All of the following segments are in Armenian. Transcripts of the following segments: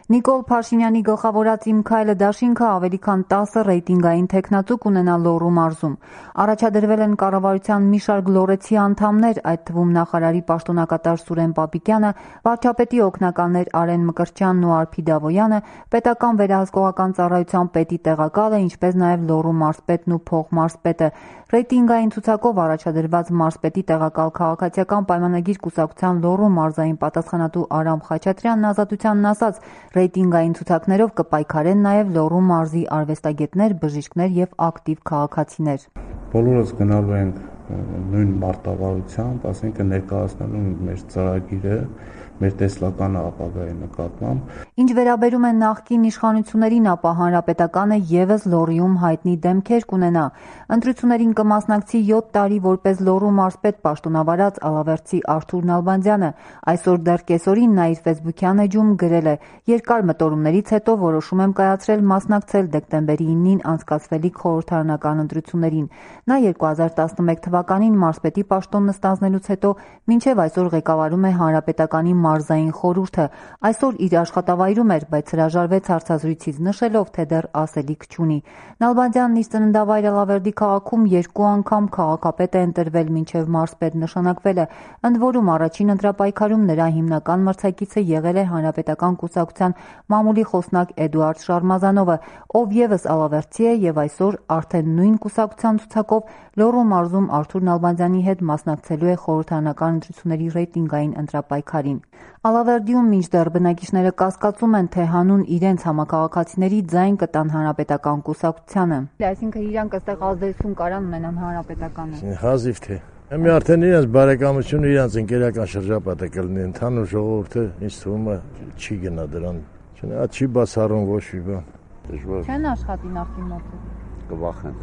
Նիկոլ Փաշինյանի գլխավորած «Իմ քայլը» դաշինքը ավելի քան 10 ռեյտինգային թեկնածու կունենա Լոռու մարզում։ Առաջադրվել են կառավարության մի շարք լոռեցի անդամներ, այդ թվում նախարարի պաշտոնակատար Սուրեն Պապիկյանը, վարչապետի օգնականներ Արեն Մկրտչյանն ու Արփի Դավոյանը, պետական վերահսկողական ծառայության պետի տեղակալը, ինչպես նաև Լոռու մարզպետն ու փոխմարզպետը։ Ռեյտինգային ցուցակով առաջադրված մարզպետի տեղակալ քաղաքացիական պայմանագիր կուսակցության Լոռու մարզային պատասխանատու Արամ Խաչատրյանն Ազատությանն ասաց, ռեյտինգային ցուցակներով կպայքարեն նաև Լոռու մարզի արվեստագետներ, բժիշկներ եւ ակտիվ քաղաքացիներ։ Բոլորս գնալու ենք նույն մարտավարությամբ, ասենք ներկայացնելու մեր ծրագիրը, մեր տեսլականը ապագայի նկատմամբ։ Ինչ վերաբերում է նախկին իշխանություններին, ապա հանրապետականը եւս Լոռիում հայտնի դեմքեր կունենա։ Ընտրություններին կմասնակցի 7 տարի որպես Լոռու մարզպետ պաշտոնավարած ալավերդցի Արթուր Նալբանդյանը։ Այսօր դեռ կեսօրին նա իր ֆեյսբուքյան էջում գրել է. «Երկար մտորումներից հետո որոշում եմ կայացրել մասնակցել դեկտեմբերի 9-ին անցկացվելիք խորհրդարանական ընտրություններին»։ Նա 2011 թվականին մարզպետի պաշտոնն ստանձնելուց հետո մինչև այսօր ղեկավարում է հանրապետականի մարզային խորհուրդը։ Այսօր իր աշխատավայրում էր, բայց հրաժարվեց հարցազրույցից նշելով, թե դեռ ասելիք չունի։ Նալբանդյանն իր ծննդավայր Ալավերդի քաղաքում 2 անգամ քաղաքապետ է ընտրվել մինչև մարզպետ նշանակվելը, ընդ որում առաջին ընտրապայքարում նրա հիմնական մրցակիցը եղել է հանրապետական կուսակցության մամուլի խոսնակ Էդուարդ Շարմազանովը, ով ևս ալավերդցի է եւ այսօր արդեն նույն կուսակցության ցուցակով Լոռու մարզում Արթուր Նալբանդյանի հետ մասնակցելու է խորհրդարանական ընտրությունների ռեյտինգային ընտրապայքարին։ Ալավերդիում մինչդեռ բնակիչները կասկածում են, թե հանուն իրենց համակարգացիների ձայն կտան հանրապետական կուսակցությանը։ Այսինքն իրանք այստեղ ազդեցություն կարան ունենան հանրապետականը։ Հազիվ թե։ Մի արդեն իրենց բարեկամությունը, իրենց ընկերական շրջապատը կլինի, ընդհանուր ժողովուրդը ինձ թվում է չի գնա դրան։ Չի բացառում ոչ մի բան։ Դժվար։ Չեն աշխատի նախկին մոտ։ Կվախեն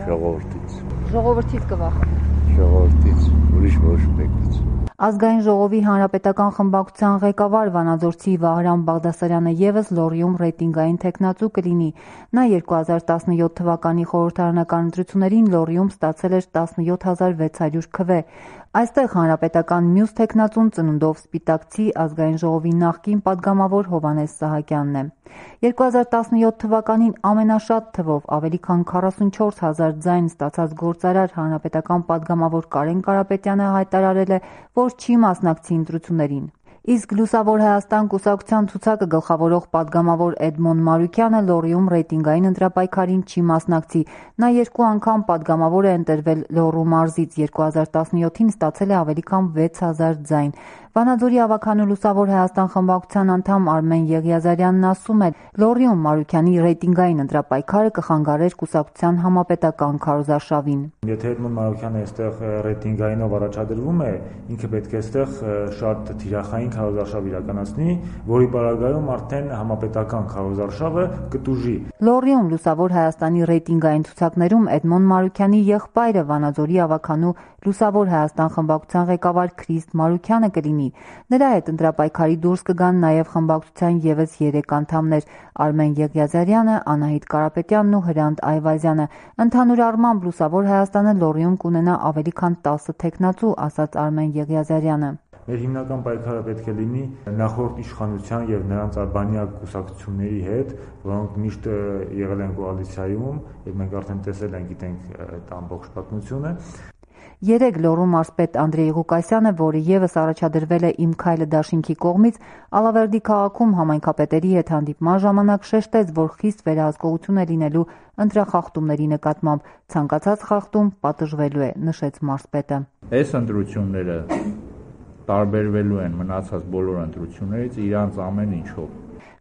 ժողովրդից։ Ժողովրդից կվախեն։ Ժողովրդից, ուրիշ ոչ մեկից։ Ազգային ժողովի հանրապետական խմբակցության ղեկավար Վանաձորցի Վահրամ Բաղդասարյանը ևս Լոռիում ռեյտինգային թեկնածու կլինի։ Նա 2017 թվականի խորհրդարանական ընտրություններին Լոռիում ստացել էր 17600 քվ։ Այստեղ հանրապետական մյուս թեկնածուն ծնունդով սպիտակցի Ազգային ժողովի նախկին падգամավոր Հովհաննես Սահակյանն է։ 2017 թվականին ամենաշատ թվով ավելի քան 44000 ձայն ստացած գործարար հանրապետական падգամավոր Կարեն Կարապետյանը հայտարարել է, որ չի մասնակցի ընտրություններին։ Իսկ Լուսավոր Հայաստան կուսակցության ցուցակը գլխավորող падգամավոր Էդմոն Մարուկյանը Լոռիում ռեյտինգային ընտրապայքարին չի մասնակցի։ Նա 2 անգամ падգամավոր է ընտրվել Լոռու մարզից, 2017-ին ստացել է ավելի քան 6000 ձայն։ Վանաձորի ավագանու Լուսավոր Հայաստան խմբակցության անդամ Արմեն Եղիազարյանն ասում է, Լոռիում Մարուկյանի ռեյտինգային ընտրապայքարը կխանգարեր կուսակցության համապետական քարոզարշավին։ Եթե Էդմոն Մարուկյանը այստեղ ռեյտինգայինով առաջադրվում է, ինքը պետք է այստեղ շատ թիրախային քարոզարշավ իրականացնի, որի պարագայում արդեն համապետական քարոզարշավը կտուժի։ Լոռիում Լուսավոր Հայաստանի ռեյտինգային ցուցակներում Էդմոն Մարուկյանի եղբայրը Վանաձորի ավագանու Լուսավոր Հայաստան խմբակցության ղեկավար Քրիստ Մարուկյանը կլինի։ Նրա հետ ընտրապայքարի դուրս կգան նաև խմբակցության ևս 3 անդամներ՝ Արմեն Եղիազարյանը, Անահիտ Կարապետյանն ու Հրանտ Այվազյանը։ Ընդհանուր առմամբ Լուսավոր Հայաստանը Լոռիում կունենա ավելի քան 10 թեկնածու, ասաց Արմեն Եղիազարյանը։ Մեր հիմնական պայքարը պետք է լինի նախորդ իշխանության եւ նրանց արբանյակ կուսակցությունների հետ, որոնք միշտ եղել են կոալիցիայում, եւ մենք արդեն տեսել ենք, գիտենք այդ ամբողջ պատմությունը։ Երեկ Լոռու մարզպետ Անդրեյ Ղուկասյանը, որը ևս առաջադրվել է «Իմ քայլը» դաշինքի կողմից, Ալավերդի քաղաքում համայնքապետերի հետ հանդիպման ժամանակ շեշտեց, որ խիստ վերահսկողություն է լինելու ընտրախախտումների նկատմամբ։ Ցանկացած խախտում պատժվելու է, նշեց մարզպետը։ Այս ընտրությունները տարբերվելու են մնացած բոլոր ընտրություններից իրանց ամեն ինչով։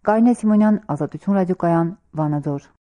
Կարինե Սիմոնյան, Ազատություն ռադիոկայան, Վանաձոր։